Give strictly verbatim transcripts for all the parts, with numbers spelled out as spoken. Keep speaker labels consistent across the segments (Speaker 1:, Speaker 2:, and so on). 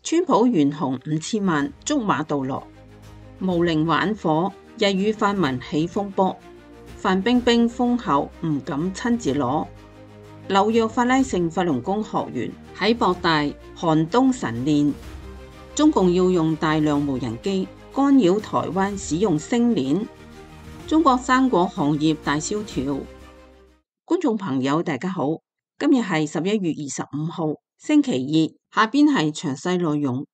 Speaker 1: 川普懸紅五千萬捉馬杜羅，無令玩火，日與泛民起風波。范冰冰封後唔敢親自攞。紐約法拉盛法輪功學員喺博大寒冬晨練，中共要用大量無人機干擾台灣使用星鏈。中國生果行業大蕭條。觀眾朋友大家好，今日係十一月二十五號星期二，下邊係詳細內容。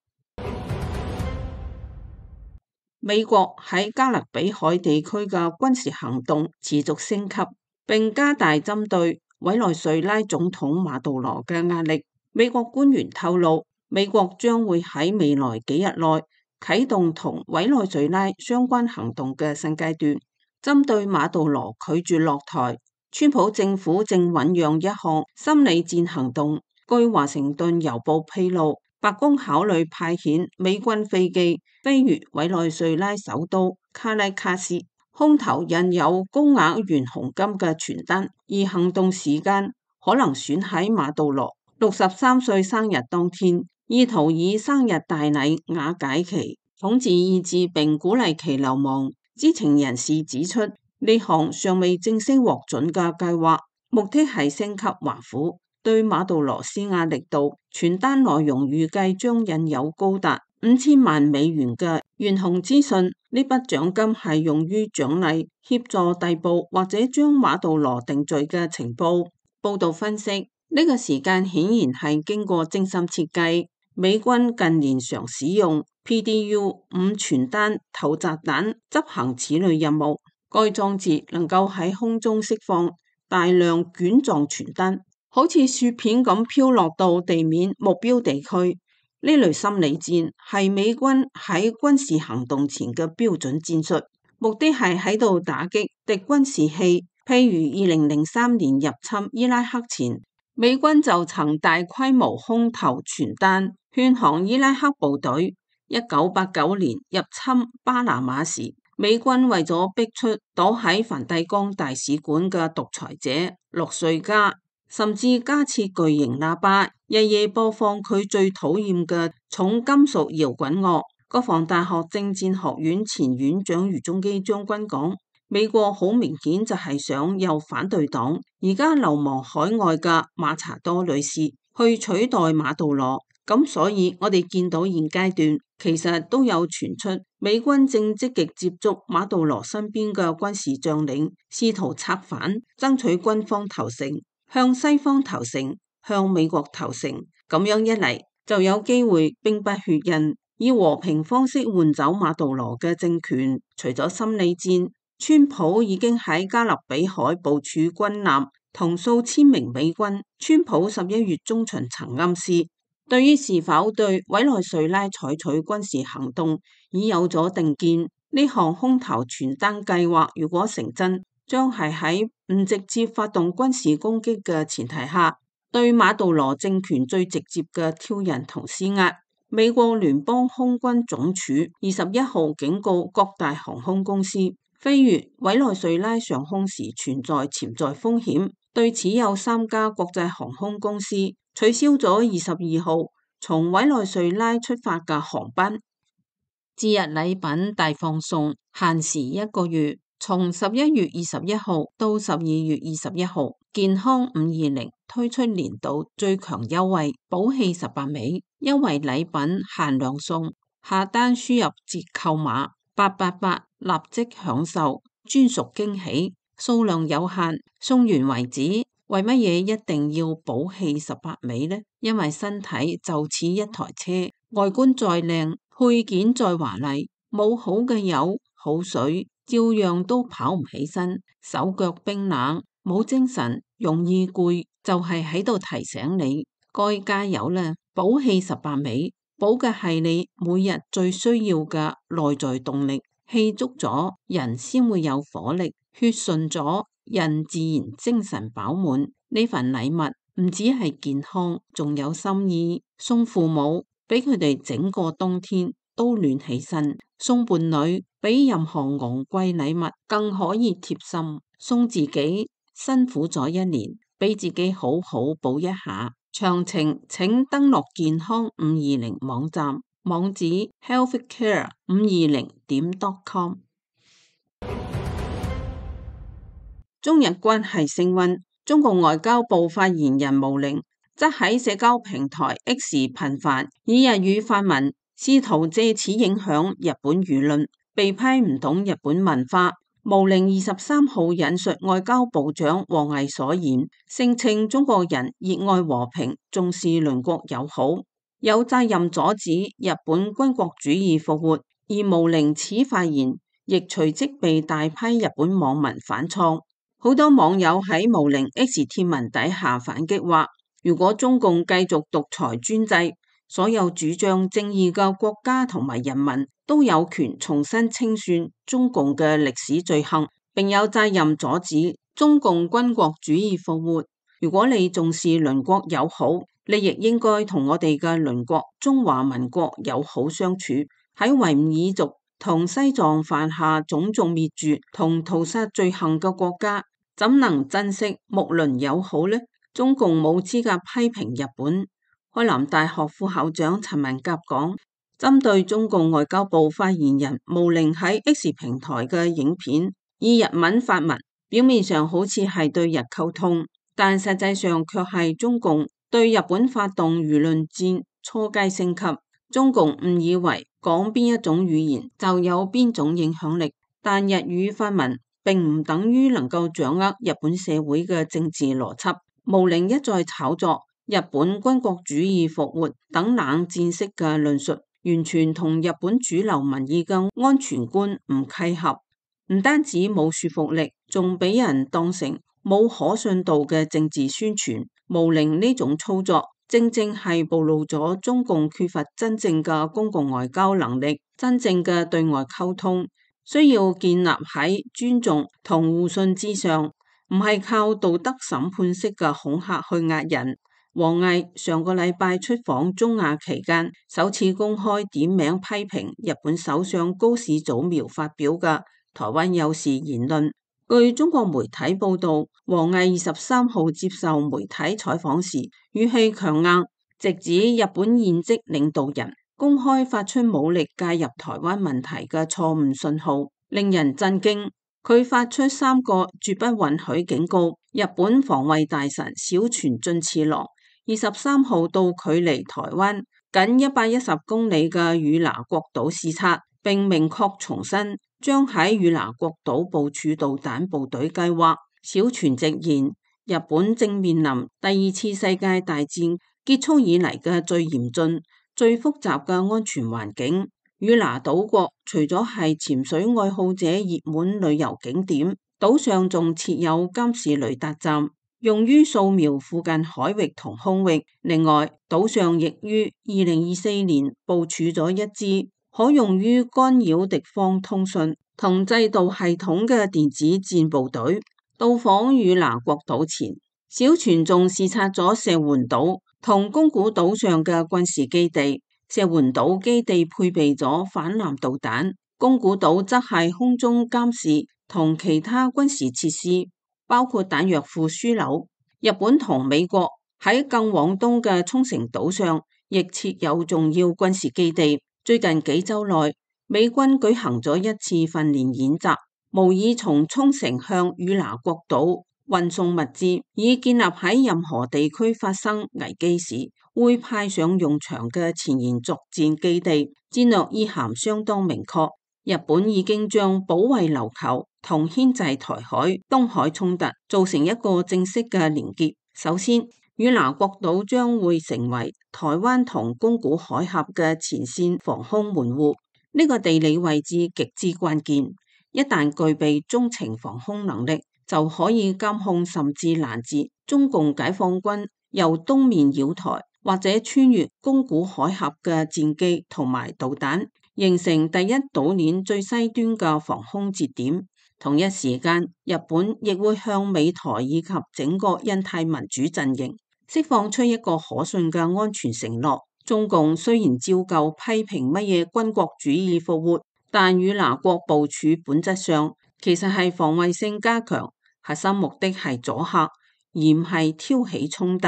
Speaker 1: 美國喺加勒比海地區嘅軍事行動持續升級，並加大針對委內瑞拉總統馬杜羅嘅壓力。美國官員透露，美國將會喺未來幾日內啟動同委內瑞拉相關行動嘅新階段。針對馬杜羅拒絕落台，川普政府正醞釀一項心理戰行動。據華盛頓郵報披露，白宮考慮派遣美軍飛機飛越委內瑞拉首都卡拉卡斯，空投印有高額懸紅金嘅傳單，而行動時間可能選喺馬杜羅六十三歲生日當天，意圖以生日大禮瓦解其統治意志並鼓勵其流亡。知情人士指出，呢項尚未正式獲准嘅計劃，目的係升級華府對馬杜羅施壓力度。傳單內容預計將印有高達五千萬美元嘅懸紅資訊，呢筆獎金係用於獎勵協助逮捕或者將馬杜羅定罪嘅情報。報道分析，呢、這個時間顯然係經過精心設計。美軍近年常使用 P D U 五傳單投擲彈執行此類任務，該裝置能夠喺空中釋放大量卷狀傳單，好似雪片咁飄落到地面目標地區。呢類心理戰係美軍喺軍事行動前嘅標準戰術，目的係喺度打擊敵軍士氣。譬如二零零三年入侵伊拉克前，美軍就曾大規模空投傳單勸降伊拉克部隊。一九八九年入侵巴拿馬時，美軍為咗逼出躲喺梵蒂岡大使館嘅獨裁者洛瑞加，甚至加設巨型喇叭，日夜播放佢最討厭嘅重金屬搖滾樂。國防大學政戰學院前院長余中基將軍講，美國好明顯就係想由反對黨而家流亡海外嘅馬查多女士去取代馬杜羅。咁所以我哋見到現階段其實都有傳出美軍正積極接觸馬杜羅身邊嘅軍事將領，試圖策反，爭取軍方投誠，向西方投誠，向美國投誠。咁樣一嚟就有機會兵不血刃，以和平方式換走馬杜羅嘅政權。除咗心理戰，川普已經喺加勒比海部署軍艦同數千名美軍。川普十一月中旬曾暗示，對於是否對委內瑞拉採取軍事行動已有咗定見。呢項空投傳單計劃如果成真，將係喺唔直接發動軍事攻擊嘅前提下，對馬杜羅政權最直接嘅挑釁同施壓。美國聯邦空軍總署二十一號警告各大航空公司，飛越委內瑞拉上空時存在潛在風險。對此有三家國際航空公司取消咗二十二號從委內瑞拉出發嘅航班。節日禮品大放送，限時一個月，從十一月二十一號到十二月二十一號，健康五二零推出年度最強優惠，寶氣十八尾，優惠禮品限量送，下單輸入折扣碼八八八，立即享受專屬驚喜，數量有限，送完為止。為乜嘢一定要寶氣十八尾呢？因為身體就似一台車，外觀再靚，配件再華麗，冇好嘅油好水，照樣都跑唔起身，手腳冰冷，冇精神，容易攰，就係喺度提醒你該加油啦！寶氣十八尾，寶嘅係你每日最需要嘅內在動力，氣足咗，人先會有火力，血順咗，人自然精神飽滿。呢份禮物唔止係健康，仲有心意。送父母，俾佢哋整個冬天都暖起身；送伴侶，比任何昂貴禮物更可以貼心；送自己，辛苦咗一年，俾自己好好補一下。詳情請登錄健康五二零網站，網址 healthcare 五二零點 com。中日關係升溫，中國外交部發言人毛寧則喺社交平台 X 頻繁以日語發文，試圖借此影響日本輿論，被批唔懂日本文化。毛寧二十三號引述外交部長王毅所言，聲稱中國人熱愛和平，重視鄰國友好，有責任阻止日本軍國主義復活。而毛寧此發言亦隨即被大批日本網民反創。好多網友喺毛寧 X 貼文底下反擊話，如果中共繼續獨裁專制，所有主張正義嘅國家同埋人民都有權重新清算中共嘅歷史罪行，並有責任阻止中共軍國主義復活。如果你重視鄰國友好，你亦應該同我哋嘅鄰國中華民國友好相處。喺維吾爾族同西藏犯下種族滅絕同屠殺罪行嘅國家，怎能珍惜睦鄰友好呢？中共冇資格批評日本。開南大學副校長陳文甲講，針對中共外交部發言人毛寧喺 X 平台嘅影片，以日文發文，表面上好似係對日溝通，但實際上卻係中共對日本發動輿論戰初階升級。中共誤以為講邊一種語言就有邊種影響力，但日語發文並唔等於能夠掌握日本社會嘅政治邏輯。毛寧一再炒作日本軍國主義復活等冷戰式嘅論述，完全同日本主流民意嘅安全觀唔契合，唔單止冇說服力，仲俾人當成冇可信度嘅政治宣傳。毛寧呢種操作正正係暴露咗中共缺乏真正嘅公共外交能力，真正嘅對外溝通需要建立喺尊重同互信之上，唔係靠道德審判式嘅恐嚇去壓人。王毅上個禮拜出訪中亞期間，首次公開點名批評日本首相高市早苗發表嘅台灣有事言論。據中國媒體報道，王毅二十三號接受媒體採訪時，語氣強硬，直指日本現職領導人公開發出武力介入台灣問題嘅錯誤信號，令人震驚。佢發出三個絕不允許警告。日本防衛大臣小泉進次郎二十三號到距離台灣僅一百一十公里嘅與那國島視察，並明確重申將喺與那國島部署導彈部隊計劃。小泉直言，日本正面臨第二次世界大戰結束以嚟嘅最嚴峻、最複雜嘅安全環境。與那島國除咗係潛水愛好者熱門旅遊景點，島上仲設有監視雷達站，用於掃描附近海域同空域。另外，島上亦於二零二四年部署咗一支可用於干擾敵方通訊同制導系統嘅電子戰部隊。到訪與那國島前，小泉仲視察咗石垣島同宮古島上嘅軍事基地。石垣島基地配備咗反艦導彈，宮古島則係空中監視同其他軍事設施，包括彈藥庫樞紐。日本同美國喺更往東嘅沖繩島上亦設有重要軍事基地。最近幾週內，美軍舉行咗一次訓練演習，模擬從沖繩向與那國島運送物資，以建立喺任何地區發生危機時會派上用場嘅前沿作戰基地。戰略意涵相當明確，日本已經將保衛琉球同牽制台海、東海衝突造成一個正式嘅連結。首先，與那國島將會成為台灣同宮古海峽嘅前線防空門戶，呢個地理位置極之關鍵。一旦具備中程防空能力，就可以監控甚至攔截中共解放軍由東面繞台或者穿越宮古海峽嘅戰機同埋導彈，形成第一島鏈最西端嘅防空節點。同一時間，日本亦會向美台以及整個印太民主陣營釋放出一個可信嘅安全承諾。中共雖然照舊批評乜嘢軍國主義復活，但與那國部署本質上其實係防衛性加強，核心目的係阻嚇，而唔係挑起衝突。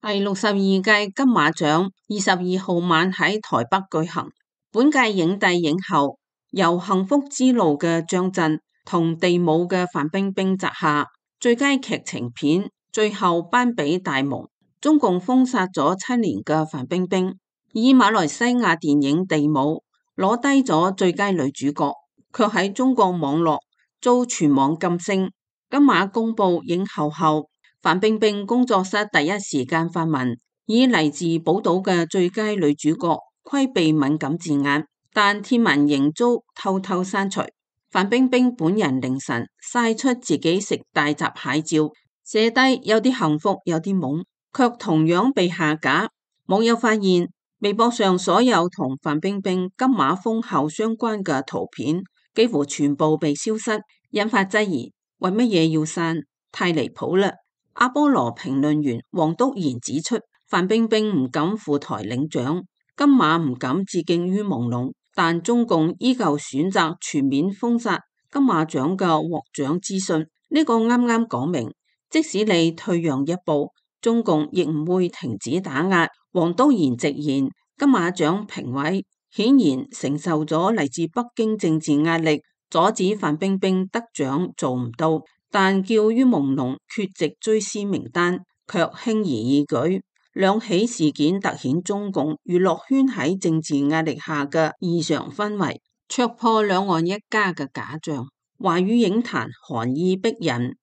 Speaker 1: 第六十二屆金馬獎二十二號晚喺台北舉行，本屆影帝影后由《幸福之路》嘅張震同地舞嘅范冰冰摘下，最佳劇情片最後頒俾大夢。中共封殺咗七年嘅范冰冰，以馬來西亞電影地舞攞低咗最佳女主角，卻喺中國網絡遭全網禁聲。金馬公布影后後，范冰冰工作室第一時間發文，以嚟自寶島嘅最佳女主角規避敏感字眼，但貼文仍遭偷偷刪除。范冰冰本人凌晨曬出自己食大閘蟹照，寫低有啲幸福有啲懵，卻同樣被下架。網友發現微博上所有同范冰冰金馬封后相關嘅圖片幾乎全部被消失，引發質疑，為乜嘢要刪？太離譜啦！阿波羅評論員黃篤賢指出，范冰冰唔敢赴台領獎，金馬唔敢致敬於朦朧，但中共依舊選擇全面封殺金馬獎嘅獲獎資訊。呢個啱啱講明，即使你退讓一步，中共亦唔會停止打壓。黃篤賢直言，金馬獎評委顯然承受咗嚟自北京政治壓力，阻止范冰冰得獎做唔到，但叫於朦朧缺席追思名單卻輕而易舉。兩起事件凸顯中共娛樂圈喺政治壓力下嘅異常氛圍，戳破兩岸一家嘅假象。華語影壇寒意逼人。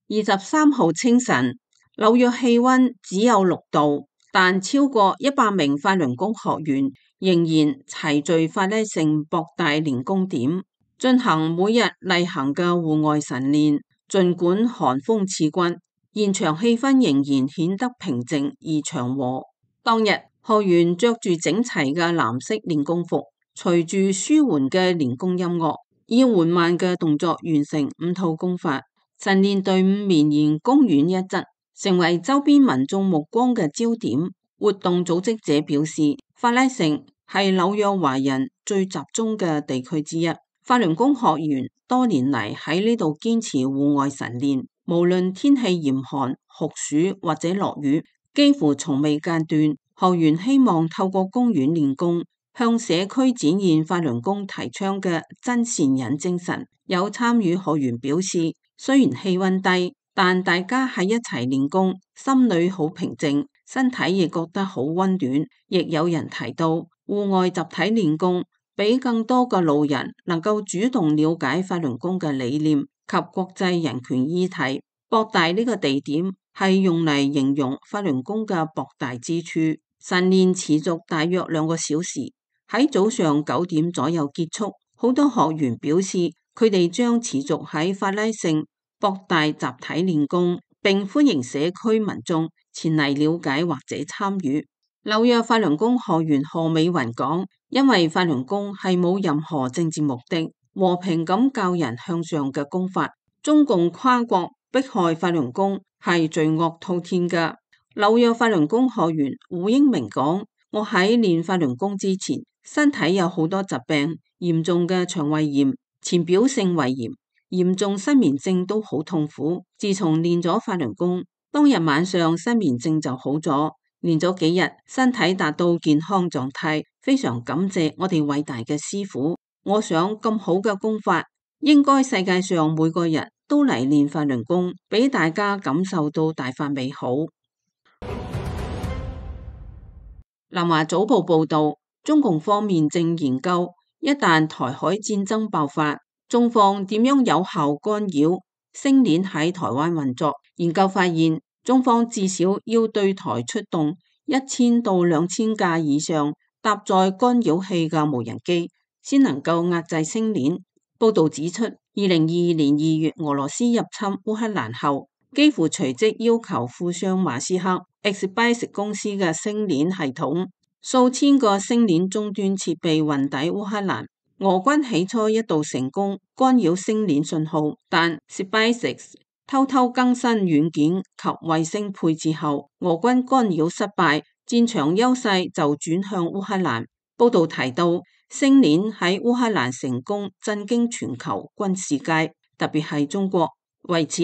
Speaker 1: 二十三號清晨，紐約氣溫只有六度，但超過一百名法輪功學員仍然齊聚法拉盛博大練功點，進行每日例行嘅戶外晨練。儘管寒風刺骨，現場氣氛仍然顯得平靜而祥和。當日，學員着住整齊嘅藍色練功服，隨住舒緩嘅練功音樂，以緩慢嘅動作完成五套功法。晨練隊伍綿延公園一側，成為周邊民眾目光嘅焦點。活動組織者表示，法拉盛係紐約華人最集中嘅地區之一。法輪功學員多年嚟喺呢度堅持戶外晨練，無論天氣嚴寒、酷暑或者落雨，幾乎從未間斷。學員希望透過公園練功，向社區展現法輪功提倡嘅真善忍精神。有參與學員表示，雖然氣溫低，但大家喺一齊練功，心裏好平靜，身體亦覺得好溫暖。亦有人提到，戶外集體練功，俾更多嘅路人能夠主動了解法輪功嘅理念及國際人權議題。博大呢個地點係用嚟形容法輪功嘅博大之處。晨練持續大約兩個小時，喺早上九點左右結束。好多學員表示，佢哋將持續喺法拉盛博大集體練功，並歡迎社區民眾前嚟了解或者參與。紐約法輪功學員何美雲講，因為法輪功係冇任何政治目的，和平咁教人向上嘅功法。中共跨國迫害法輪功係罪惡滔天㗎。紐約法輪功學員胡英明講，我喺練法輪功之前，身體有好多疾病，嚴重嘅腸胃炎、淺表性胃炎、嚴重失眠症都好痛苦。自從練咗法輪功，當日晚上失眠症就好咗，練咗幾日，身體達到健康狀態，非常感謝我哋偉大嘅師父。我想咁好嘅功法，應該世界上每個人都嚟練法輪功，俾大家感受到大法美好。南華早報報道，中共方面正研究，一旦台海戰爭爆發，中方點樣有效干擾星鏈喺台灣運作。研究發現，中方至少要對台出動一千到兩千架以上搭載干擾器嘅無人機，先能夠壓制星鏈。報道指出，二零二二年二月俄羅斯入侵烏克蘭後，幾乎隨即要求富商馬斯克 X-Base 公司嘅星鏈系統，數千個星鏈終端設備運抵烏克蘭。俄軍起初一度成功干擾星鏈信號，但 SpaceX 偷偷更新軟件及衛星配置後，俄軍干擾失敗，戰場優勢就轉向烏克蘭。報道提到，星鏈喺烏克蘭成功震驚全球軍事界，特別係中國。為此，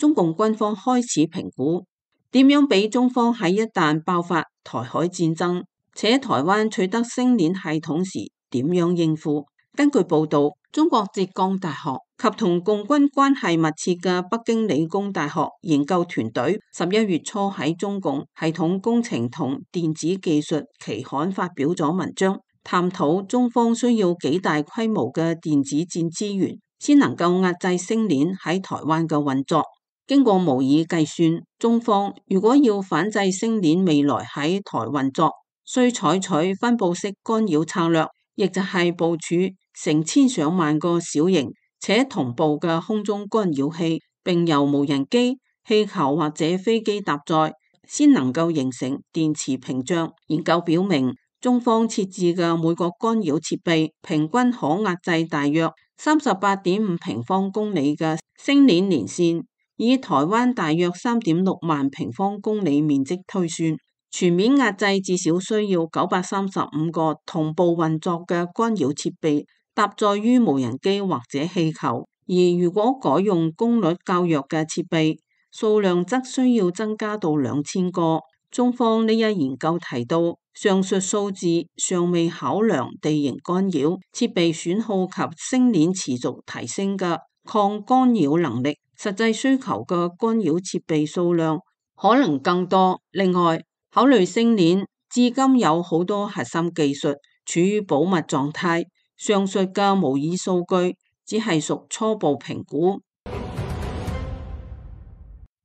Speaker 1: 中共軍方開始評估點樣俾中方喺一旦爆發台海戰爭，且台灣取得星鏈系統時點樣應付。根據報道，中國浙江大學及同共軍關係密切嘅北京理工大學研究團隊十一月初喺中共系統工程同電子技術期刊發表咗文章，探討中方需要幾大規模嘅電子戰資源，先能夠壓制星鏈喺台灣嘅運作。經過模擬計算，中方如果要反制星鏈未來喺台運作，需採取分布式干擾策略，亦就係部署成千上萬個小型且同步嘅空中干擾器，並由無人機、氣球或者飛機搭載，先能夠形成電磁屏障。研究表明，中方設置嘅每個干擾設備平均可壓制大約三十八點五平方公里嘅星鏈連線，以台灣大約三點六萬平方公里面積推算，全面壓制至少需要九百三十五個同步運作嘅干擾設備搭載於無人機或者氣球，而如果改用功率較弱嘅設備，數量則需要增加到兩千個。中方呢一研究提到，上述數字尚未考量地形干擾、設備損耗及星鏈持續提升嘅抗干擾能力，實際需求嘅干擾設備數量可能更多。另外，考慮星鏈至今有好多核心技術處於保密狀態，上述嘅模擬數據只係屬初步評估。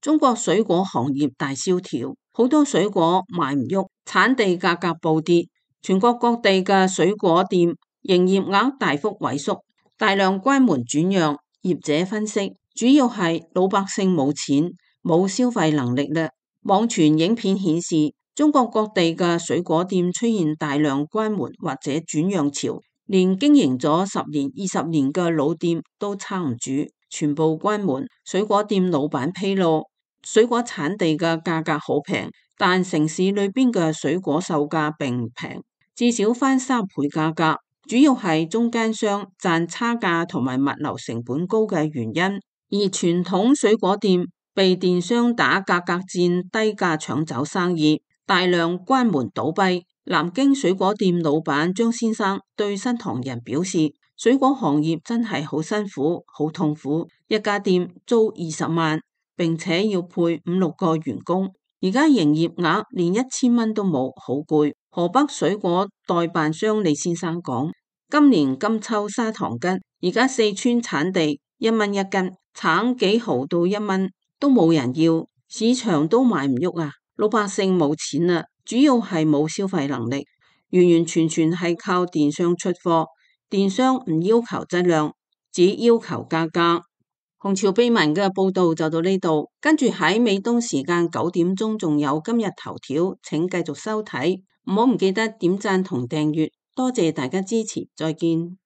Speaker 1: 中國水果行業大蕭條，好多水果賣唔喐，產地價格暴跌，全國各地嘅水果店營業額大幅萎縮，大量關門轉讓。業者分析，主要係老百姓冇錢，冇消費能力啦。網傳影片顯示，中國各地嘅水果店出現大量關門或者轉讓潮，連經營咗十年、二十年嘅老店都撐唔住，全部關門。水果店老闆披露，水果產地嘅價格好平，但城市裏邊嘅水果售價並唔平，至少翻三倍價格，主要係中間商賺差價同埋物流成本高嘅原因。而傳統水果店被電商打價格戰，低價搶走生意，大量關門倒閉。南京水果店老闆張先生對新唐人表示，水果行業真係好辛苦、好痛苦，一家店租二十萬，並且要配五六個員工，而家營業額連一千蚊都冇，好攰。河北水果代辦商李先生講，今年金秋砂糖桔，而家四川產地一蚊一斤，橙幾毫到一蚊都冇人要，市場都賣唔喐啊！老百姓冇錢啊，主要係冇消費能力，完完全全係靠電商出貨，電商唔要求質量，只要求價格。紅潮秘聞嘅報道就到呢度，跟住喺美東時間九點鐘仲有今日頭條，請繼續收睇，唔好唔記得點讚同訂閱，多謝大家支持，再見。